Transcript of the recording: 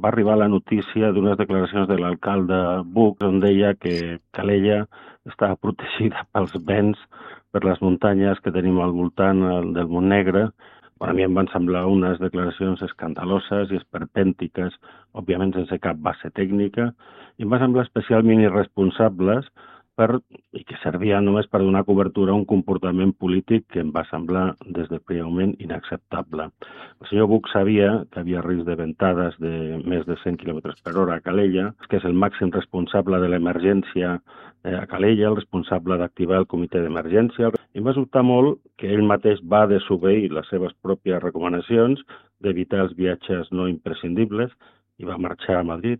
va arribar la notícia d'unes declaracions de l'alcalde Buch on deia que Calella estava protegida pels vents, per les muntanyes que tenim al voltant del Montnegre. A mi em van semblar unes declaracions escandaloses i esperpèntiques, òbviament sense cap base tècnica, i em va semblar especialment irresponsables i que servia només per donar cobertura a un comportament polític que em va semblar des del primer moment inacceptable. El senyor Buch sabia que havia risc de ventades de més de 100 km per hora a Calella, que és el màxim responsable de l'emergència a Calella, el responsable d'activar el comitè d'emergència. I em va sobtar molt que ell mateix va desobeir les seves pròpies recomanacions d'evitar els viatges no imprescindibles i va marxar a Madrid.